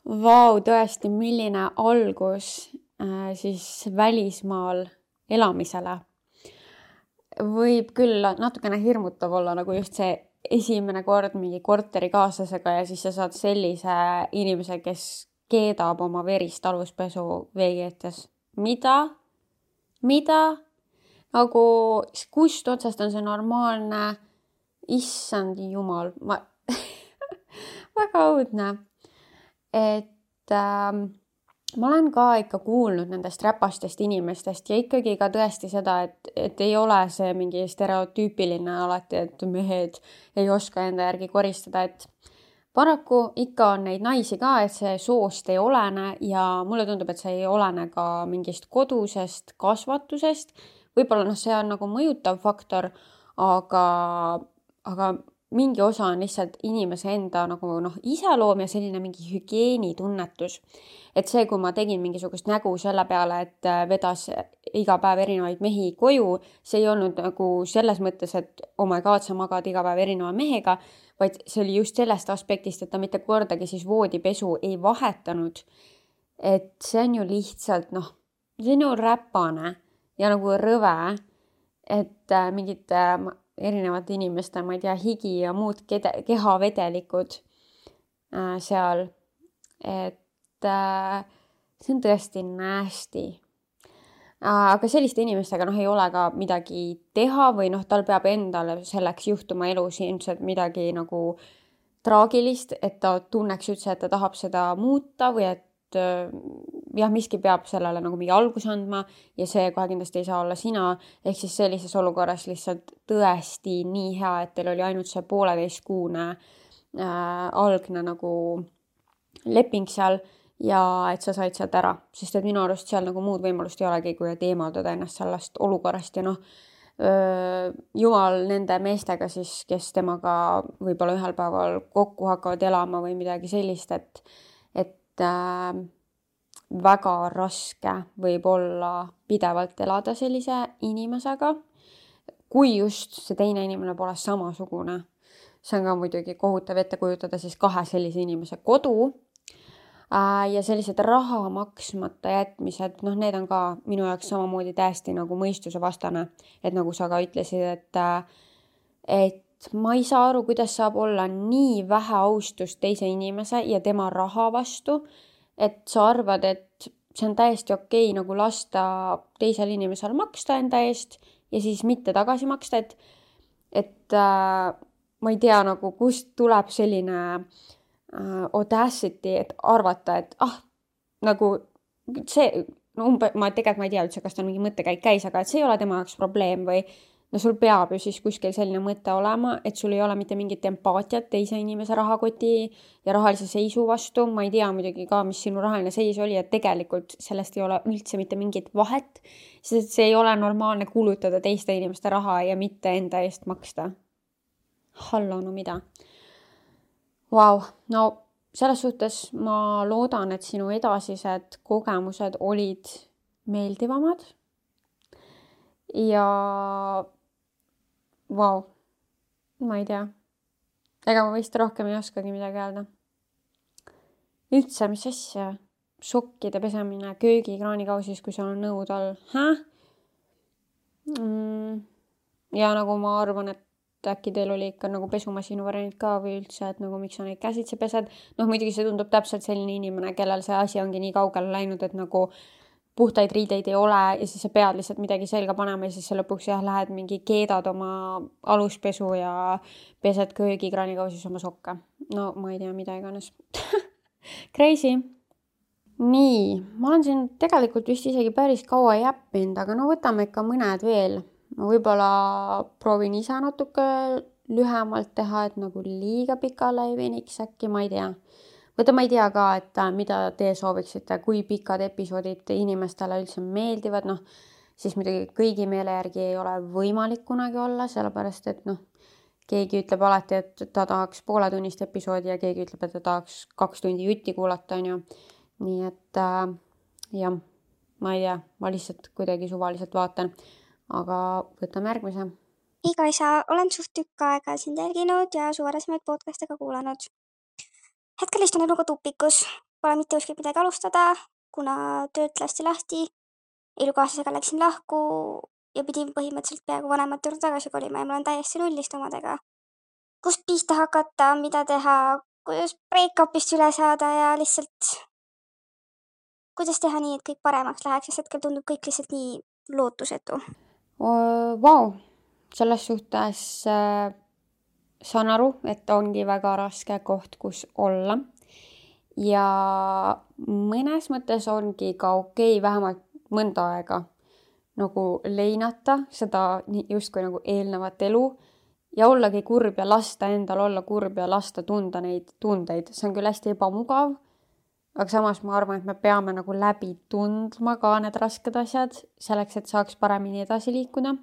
Vau, tõesti, milline algus äh, siis välismaal elamisele. Võib küll natukene hirmutav olla nagu just see esimene kord mingi korterikaaslasega ja siis sa saad sellise inimese, kes keedab oma verist aluspesu veekeetes. Mida? Mida? Nagu kust otsast on see normaalne? Issand jumal. Ma... väga õudne. Et ähm, ma olen ka ikka kuulnud nendest räpastest inimestest ja ikkagi ka tõesti seda, et, et ei ole see mingi stereotüüpiline alati, et mehed ei oska enda järgi koristada, et paraku ikka on neid naisi ka, et see soost ei olene ja mulle tundub, et see ei olene ka mingist kodusest kasvatusest. Võib-olla noh, see on nagu mõjutav faktor, aga, aga mingi osa on lihtsalt inimese enda nagu noh, iseloom ja selline mingi hügieenitunnetus. Et see, kui ma tegin mingisugust nägu selle peale, et vedas iga päev erinevaid mehi koju, see ei olnud nagu selles mõttes, et oh my god, sa magad iga päev erineva mehega, vaid see oli just sellest aspektist, et ta mitte kordagi siis voodipesu ei vahetanud. Et see on ju lihtsalt noh, see on ju räpane ja nagu rõve, et mingid erinevate inimeste, ma ei tea, higi ja muud kehavedelikud äh, seal. Et äh, see on tõesti nasty. Äh, aga selliste inimestega noh, ei ole ka midagi teha või noh, tal peab endale selleks juhtuma elus ilmselt midagi nagu traagilist, et ta tunneks üldse, et ta tahab seda muuta või et jah, miski peab sellele nagu mingi algus andma ja see kohe kindlasti ei saa olla sina, ehk siis sellises olukorras lihtsalt tõesti nii hea, et teil oli ainult see pooleteistkuune äh, algne nagu leping seal ja et sa said sealt ära, sest et minu arust seal nagu muud võimalust ei olegi, kui et eemaldada ennast sellest olukorrast ja noh, öö, jumal nende meestega siis, kes temaga võib-olla ühel päeval kokku hakkavad elama või midagi sellist, et et äh, väga raske võib olla pidevalt elada sellise inimesega, kui just see teine inimene pole samasugune. See on ka muidugi kohutav ette kujutada siis kahe sellise inimese kodu äh, ja sellised raha maksmata jätmised, noh, need on ka minu jaoks samamoodi täiesti nagu mõistuse vastane, et nagu sa ka ütlesid, et äh, et ma ei saa aru, kuidas saab olla nii vähe austust teise inimese ja tema raha vastu, et sa arvad, et see on täiesti okei nagu lasta teisel inimesel maksta enda eest ja siis mitte tagasi maksta, et, et äh, ma ei tea nagu, kust tuleb selline äh, audacity, et arvata, et ah, nagu see, no umbe, ma tegelikult ma ei tea üldse, kas ta mingi mõttekäik käis, aga et see ei ole tema jaoks probleem või no sul peab ju siis kuskil selline mõte olema, et sul ei ole mitte mingit empaatiat teise inimese rahakoti ja rahalise seisu vastu. Ma ei tea muidugi ka, mis sinu rahaline seis oli, et tegelikult sellest ei ole üldse mitte mingit vahet, sest see ei ole normaalne kulutada teiste inimeste raha ja mitte enda eest maksta. Hallo, no mida? Vau, wow. No selles suhtes ma loodan, et sinu edasised kogemused olid meeldivamad ja vau, ma ei tea. Ega ma vist rohkem ei oskagi midagi öelda. Üldse, mis asja? Sokkide pesemine köögikraanikausis, kui seal on nõud all. Häh? Mm. Ja nagu ma arvan, et äkki teil oli ikka nagu pesumasinu variant ka või üldse, et nagu miks sa neid käsitse pesed. Noh, muidugi see tundub täpselt selline inimene, kellel see asi ongi nii kaugele läinud, et nagu puhtaid riideid ei ole ja siis sa pead lihtsalt midagi selga panema ja siis sa lõpuks jah, lähed mingi keedad oma aluspesu ja pesed köögikraanikausis oma sokke. No ma ei tea, mida iganes. Crazy. Nii, ma olen siin tegelikult vist isegi päris kaua jäppinud, aga no võtame ikka mõned veel. Ma võib-olla proovin ise natuke lühemalt teha, et nagu liiga pikale ei veniks äkki, ma ei tea. Võtta ma ei tea ka, et mida te sooviksite, kui pikad episoodid inimestele üldse meeldivad, noh, siis muidugi kõigi meele järgi ei ole võimalik kunagi olla, sellepärast et noh, keegi ütleb alati, et ta tahaks pooletunnist episoodi ja keegi ütleb, et ta tahaks kaks tundi jutti kuulata, on ju. Nii et äh, jah, ma ei tea, ma lihtsalt kuidagi suvaliselt vaatan, aga võtame järgmise. iga isa olen suht tükk aega sind jälginud ja su varasemaid podcast'e ka kuulanud. Hetkel istun eluga tupikus, pole mitte kuskilt midagi alustada, kuna töölt lasti lahti, elukaaslasega läksin lahku ja pidin põhimõtteliselt peaaegu vanemate juurde tagasi kolima ja mul on täiesti nullist omadega. Kust pihta hakata, mida teha, kuidas break-upist üle saada ja lihtsalt kuidas teha nii, et kõik paremaks läheks, sest hetkel tundub kõik lihtsalt nii lootusetu. Vau, selles suhtes äh, saan aru, et ongi väga raske koht, kus olla. Ja mõnes mõttes ongi ka okei vähemalt mõnda aega nagu leinata seda justkui nagu eelnevat elu ja ollagi kurb ja lasta endal olla kurb ja lasta tunda neid tundeid. See on küll hästi ebamugav, aga samas ma arvan, et me peame nagu läbi tundma ka need rasked asjad selleks, et saaks paremini edasi liikuda.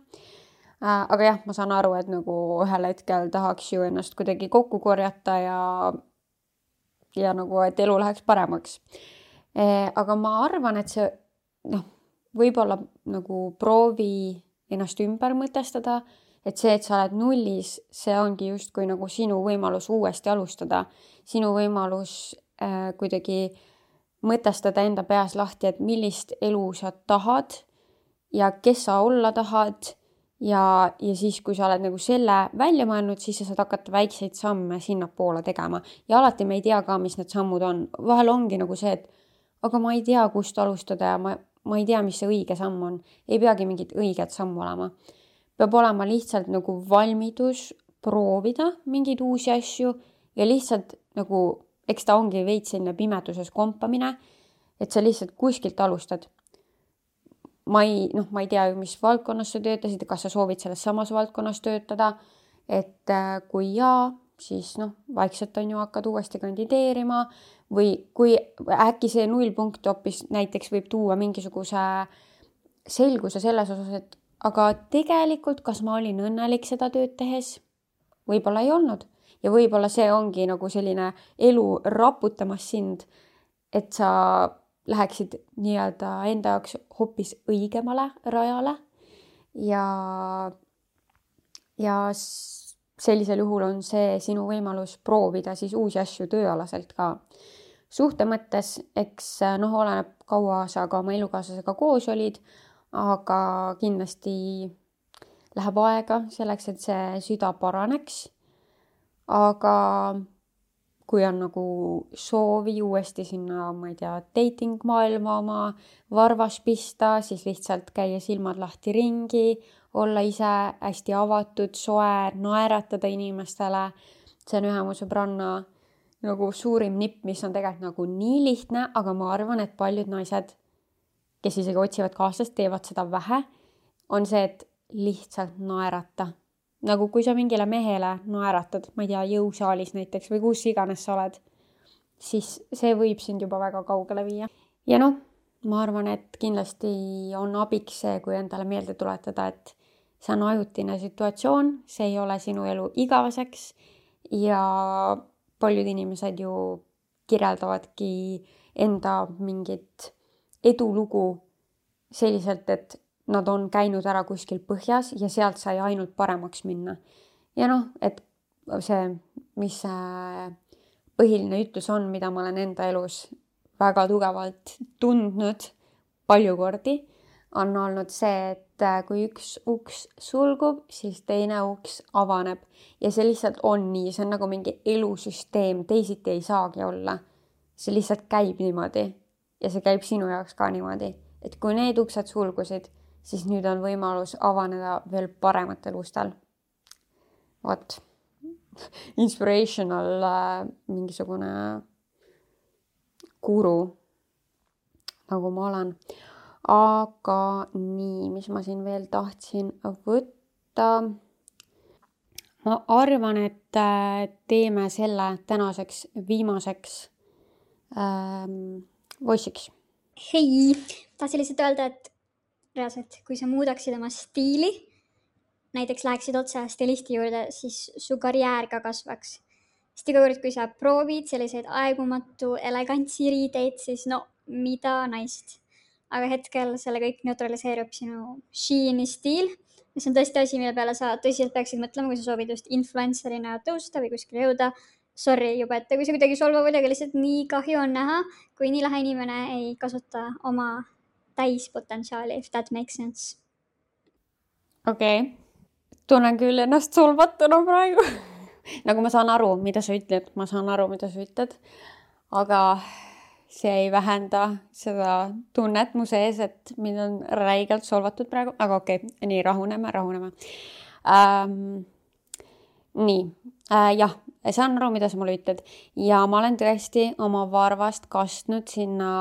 Aga jah, ma saan aru, et nagu ühel hetkel tahaks ju ennast kuidagi kokku korjata ja, ja nagu, et elu läheks paremaks. Aga ma arvan, et see noh, võib-olla nagu proovi ennast ümber mõtestada, et see, et sa oled nullis, see ongi justkui nagu sinu võimalus uuesti alustada. Sinu võimalus äh, kuidagi mõtestada enda peas lahti, et millist elu sa tahad ja kes sa olla tahad. Ja, ja siis, kui sa oled nagu selle välja mõelnud, siis sa saad hakata väikseid samme sinna poole tegema. Ja alati me ei tea ka, mis need sammud on. Vahel ongi nagu see, et aga ma ei tea, kust alustada ja ma, ma ei tea, mis see õige samm on. Ei peagi mingit õiget sammu olema. Peab olema lihtsalt nagu valmidus proovida mingeid uusi asju ja lihtsalt nagu, eks ta ongi veits selline pimeduses kompamine, et sa lihtsalt kuskilt alustad. Ma ei, noh, ma ei tea, mis valdkonnas sa töötasid, kas sa soovid selles samas valdkonnas töötada, et kui jaa, siis noh, vaikselt on ju hakkad uuesti kandideerima või kui äkki see nullpunkt hoopis näiteks võib tuua mingisuguse selguse selles osas, et aga tegelikult, kas ma olin õnnelik seda tööd tehes? Võib-olla ei olnud. Ja võib-olla see ongi nagu selline elu raputamas sind, et sa läheksid nii-öelda enda jaoks hoopis õigemale rajale ja, ja sellisel juhul on see sinu võimalus proovida siis uusi asju tööalaselt ka. Suhte mõttes, eks noh, oleneb kaua sa ka oma elukaaslasega koos olid, aga kindlasti läheb aega selleks, et see süda paraneks. Aga kui on nagu soovi uuesti sinna, ma ei tea, dating maailma oma varvas pista, siis lihtsalt käia silmad lahti ringi, olla ise hästi avatud, soe, naeratada inimestele. See on ühe mu sõbranna nagu suurim nipp, mis on tegelikult nagu nii lihtne, aga ma arvan, et paljud naised, kes isegi otsivad kaaslast, teevad seda vähe, on see, et lihtsalt naerata. Nagu kui sa mingile mehele naeratad, ma ei tea, jõusaalis näiteks või kus iganes sa oled, siis see võib sind juba väga kaugele viia. Ja noh, ma arvan, et kindlasti on abiks see, kui endale meelde tuletada, et see on ajutine situatsioon, see ei ole sinu elu igaveseks ja paljud inimesed ju kirjeldavadki enda mingit edulugu selliselt, et nad on käinud ära kuskil põhjas ja sealt sai ainult paremaks minna. Ja noh, et see, mis see põhiline ütlus on, mida ma olen enda elus väga tugevalt tundnud palju kordi, on olnud see, et kui üks uks sulgub, siis teine uks avaneb. Ja see lihtsalt on nii, see on nagu mingi elusüsteem, teisiti ei saagi olla. See lihtsalt käib niimoodi ja see käib sinu jaoks ka niimoodi. Et kui need uksed sulgusid, siis nüüd on võimalus avaneda veel parematel ustel. Vot, inspirational äh, mingisugune guru, nagu ma olen. Aga nii, mis ma siin veel tahtsin võtta. Ma arvan, et teeme selle tänaseks viimaseks ähm, voissiks. Hei, tahtsin lihtsalt öelda, et reaalselt, kui sa muudaksid oma stiili, näiteks läheksid otse stilisti juurde, siis su karjäär ka kasvaks. Sest iga kord, kui sa proovid selliseid aegumatu elegantsi riideid, siis no mida naist. Aga hetkel selle kõik neutraliseerub sinu Sheini stiil, ja see on tõesti asi, mille peale sa tõsiselt peaksid mõtlema, kui sa soovid just influencerina tõusta või kuskile jõuda. Sorry juba, et kui see kuidagi solvav oli, aga lihtsalt nii kahju on näha, kui nii lahe inimene ei kasuta oma täispotentsiaali, if that makes sense. Okei, okay. Tunnen küll ennast solvatuna praegu. Nagu ma saan aru, mida sa ütled, ma saan aru, mida sa ütled, aga see ei vähenda seda tunnet mu sees, et mind on räigelt solvatud praegu, aga okei, okay. Nii rahuneme, rahuneme. Ähm, nii, äh, jah, saan aru, mida sa mulle ütled ja ma olen tõesti oma varvast kastnud sinna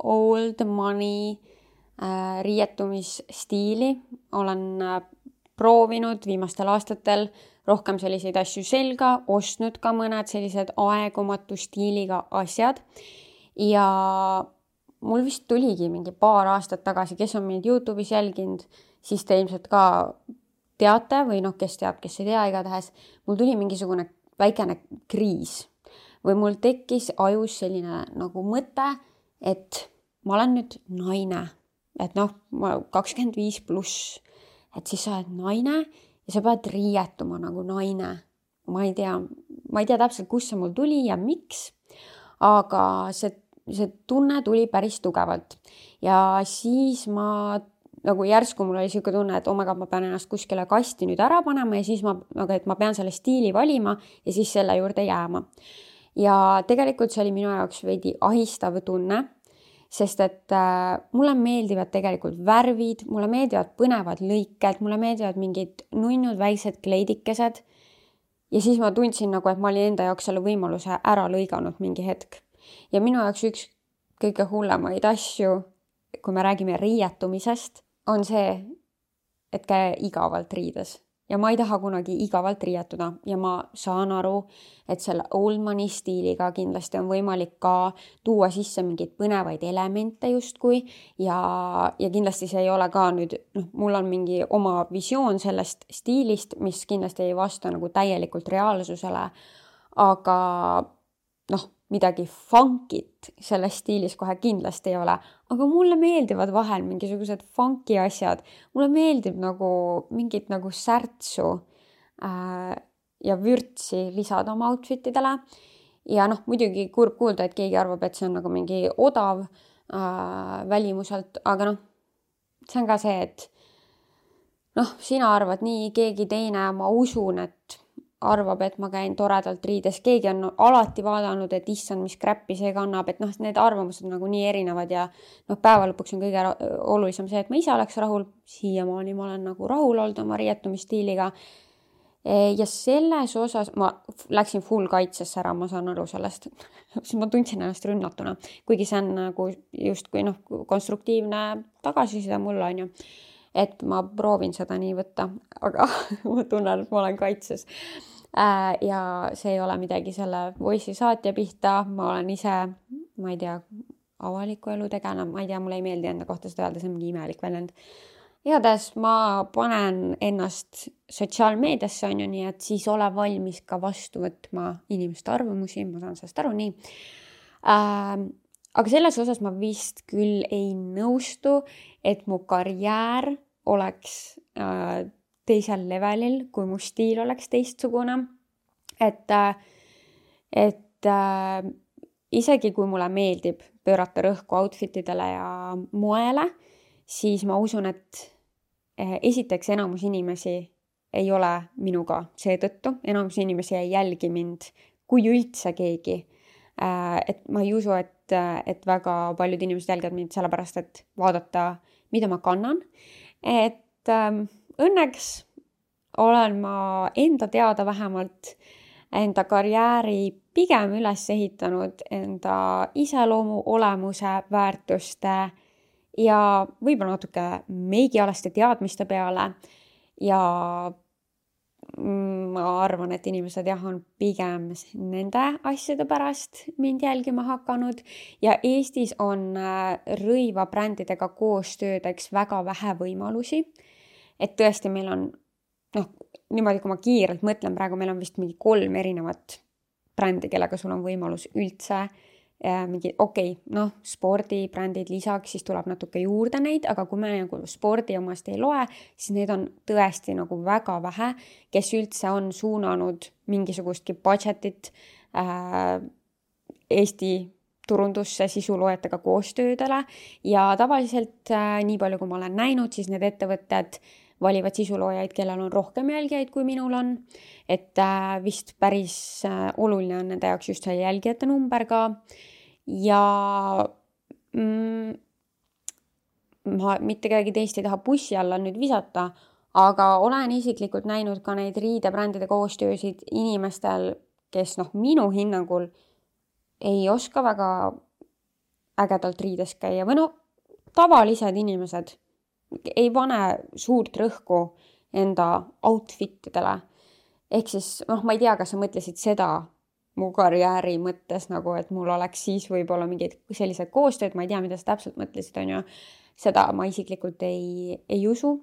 old money äh, riietumisstiili. Olen äh, proovinud viimastel aastatel rohkem selliseid asju selga, ostnud ka mõned sellised aegumatu stiiliga asjad. Ja mul vist tuligi mingi paar aastat tagasi, kes on mind YouTube'is jälginud, siis te ilmselt ka teate või noh, kes teab, kes ei tea igatahes. Mul tuli mingisugune väikene kriis või mul tekkis ajus selline nagu mõte, et ma olen nüüd naine, et noh, ma kakskümmend viis pluss, et siis sa oled naine ja sa pead riietuma nagu naine. Ma ei tea, ma ei tea täpselt, kus see mul tuli ja miks, aga see, see tunne tuli päris tugevalt. Ja siis ma nagu järsku mul oli siuke tunne, et oh my god, ma pean ennast kuskile kasti nüüd ära panema ja siis ma, aga et ma pean selle stiili valima ja siis selle juurde jääma. Ja tegelikult see oli minu jaoks veidi ahistav tunne, sest et äh, mulle meeldivad tegelikult värvid, mulle meeldivad põnevad lõiked, mulle meeldivad mingid nunnud väiksed kleidikesed ja siis ma tundsin nagu, et ma olin enda jaoks selle võimaluse ära lõiganud mingi hetk. Ja minu jaoks üks kõige hullemaid asju, kui me räägime riietumisest, on see, et käi igavalt riides. Ja ma ei taha kunagi igavalt riietuda ja ma saan aru, et selle old money stiiliga kindlasti on võimalik ka tuua sisse mingeid põnevaid elemente justkui ja, ja kindlasti see ei ole ka nüüd, noh, mul on mingi oma visioon sellest stiilist, mis kindlasti ei vasta nagu täielikult reaalsusele, aga noh, midagi funkit selles stiilis kohe kindlasti ei ole, aga mulle meeldivad vahel mingisugused funky asjad. Mulle meeldib nagu mingit nagu särtsu äh, ja vürtsi lisada oma outfitidele. Ja noh, muidugi kurb kuulda, et keegi arvab, et see on nagu mingi odav äh, välimuselt, aga noh, see on ka see, et noh, sina arvad nii, keegi teine, ma usun, et arvab, et ma käin toredalt riides. Keegi on alati vaadanud, et issand, mis kräppi see kannab, et noh, need arvamused nagu nii erinevad ja noh, päeva lõpuks on kõige olulisem see, et ma ise oleks rahul. Siiamaani ma olen nagu rahul olnud oma riietumisstiiliga. Ja selles osas ma läksin full kaitsesse ära, ma saan aru sellest. Siis ma tundsin ennast rünnatuna, kuigi see on nagu just kui noh, konstruktiivne tagasiside mulle on ju. Et ma proovin seda nii võtta, aga ma tunnen, et ma olen kaitses. Ja see ei ole midagi selle voice'i saatja pihta, ma olen ise, ma ei tea, avaliku elu tegena, ma ei tea, mulle ei meeldi enda kohta seda öelda, see on mingi imelik väljend. Igatahes ma panen ennast sotsiaalmeediasse on ju nii, et siis ole valmis ka vastu võtma inimeste arvamusi, ma saan sellest aru nii. Äh, aga selles osas ma vist küll ei nõustu, et mu karjäär oleks äh, teisel levelil, kui mu stiil oleks teistsugune. Et, et äh, isegi kui mulle meeldib pöörata rõhku outfitidele ja moele, siis ma usun, et äh, esiteks enamus inimesi ei ole minuga seetõttu. Enamus inimesi ei jälgi mind, kui üldse keegi. Äh, et ma ei usu, et, et väga paljud inimesed jälgivad mind sellepärast, et vaadata, mida ma kannan. Et ähm, õnneks olen ma enda teada vähemalt enda karjääri pigem üles ehitanud enda iseloomu, olemuse, väärtuste ja võib-olla natuke meigialaste teadmiste peale. Ja ma arvan, et inimesed jah, on pigem nende asjade pärast mind jälgima hakanud ja Eestis on rõiva brändidega koostöödeks väga vähe võimalusi. Et tõesti meil on, noh, niimoodi kui ma kiirelt mõtlen, praegu meil on vist mingi kolm erinevat brändi, kellega sul on võimalus üldse mingi, okei, okay, noh, spordibrändid lisaks, siis tuleb natuke juurde neid, aga kui me nagu spordi omast ei loe, siis neid on tõesti nagu väga vähe, kes üldse on suunanud mingisugustki budgetit äh, Eesti turundusse sisuloojatega koostöödele ja tavaliselt äh, nii palju, kui ma olen näinud, siis need ettevõtted valivad sisuloojaid, kellel on rohkem jälgijaid, kui minul on. Et äh, vist päris äh, oluline on nende jaoks just see jälgijate number ka. Ja mm, ma mitte kedagi teist ei taha bussi alla nüüd visata, aga olen isiklikult näinud ka neid riidebrändide koostöösid inimestel, kes noh, minu hinnangul ei oska väga ägedalt riides käia. Või no, tavalised inimesed ei pane suurt rõhku enda outfitidele. Ehk siis, noh, ma ei tea, kas sa mõtlesid seda mu karjääri mõttes, nagu, et mul oleks siis võib-olla mingid sellised koostööd, ma ei tea, mida sa täpselt mõtlesid, on ju. Seda ma isiklikult ei, ei usu.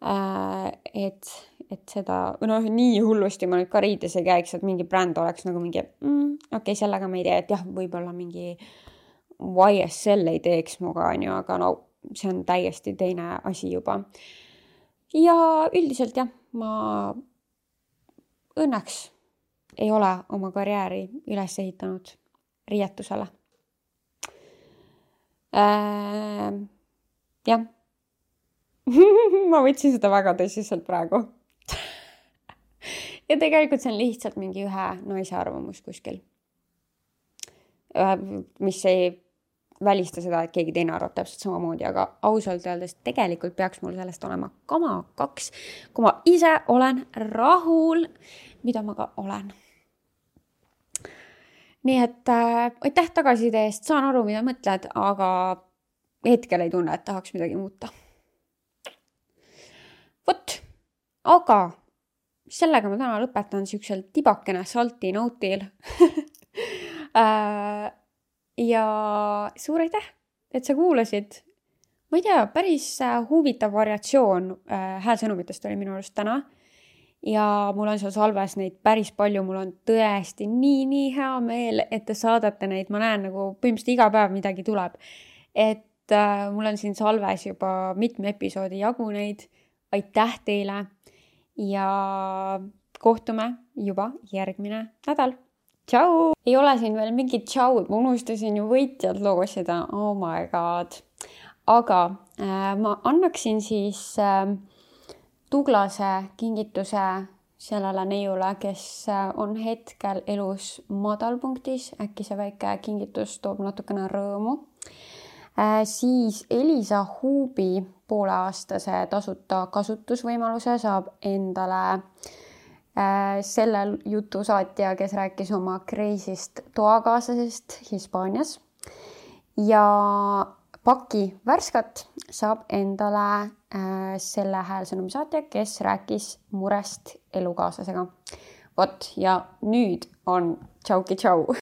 Et, et seda, noh, nii hullusti ma nüüd ka riides ei käiks, et mingi bränd oleks nagu mingi, mm, okei, okay, sellega ma ei tea, et jah, võib-olla mingi Y S L ei teeks muga, on ju, aga no see on täiesti teine asi juba. Ja üldiselt jah, ma õnneks ei ole oma karjääri üles ehitanud riietusele. Äh, jah. Ma võtsin seda väga tõsiselt praegu. Ja tegelikult see on lihtsalt mingi ühe naise arvamus kuskil. Mis ei välista seda, et keegi teine arvab täpselt samamoodi, aga ausalt öeldes tegelikult peaks mul sellest olema kama kaks, kui ma ise olen rahul, mida ma ka olen. Nii et äh, aitäh tagasiside eest, saan aru, mida mõtled, aga hetkel ei tunne, et tahaks midagi muuta. Vot, aga sellega ma täna lõpetan siuksel tibakene salti notil. äh, Ja suur aitäh, et sa kuulasid. Ma ei tea, päris huvitav variatsioon häälsõnumitest oli minu arust täna. Ja mul on seal salves neid päris palju. Mul on tõesti nii, nii hea meel, et te saadate neid. Ma näen nagu põhimõtteliselt iga päev midagi tuleb. Et äh, mul on siin salves juba mitme episoodi jagu neid. Aitäh teile ja kohtume juba järgmine nädal. Tšau! Ei ole siin veel mingit tšau, ma unustasin ju võitjad loosida. Oh my god. Aga äh, ma annaksin siis äh, Tuglase kingituse sellele neiule, kes äh, on hetkel elus madalpunktis. Äkki see väike kingitus toob natukene rõõmu. Äh, siis Elisa Huubi pooleaastase tasuta kasutusvõimaluse saab endale selle jutusaatja, kes rääkis oma kreisist toakaaslasest Hispaanias. Ja Paki Värskat saab endale selle häälsõnumi saatja, kes rääkis murest elukaaslasega. Vot, ja nüüd on tšauki tšau!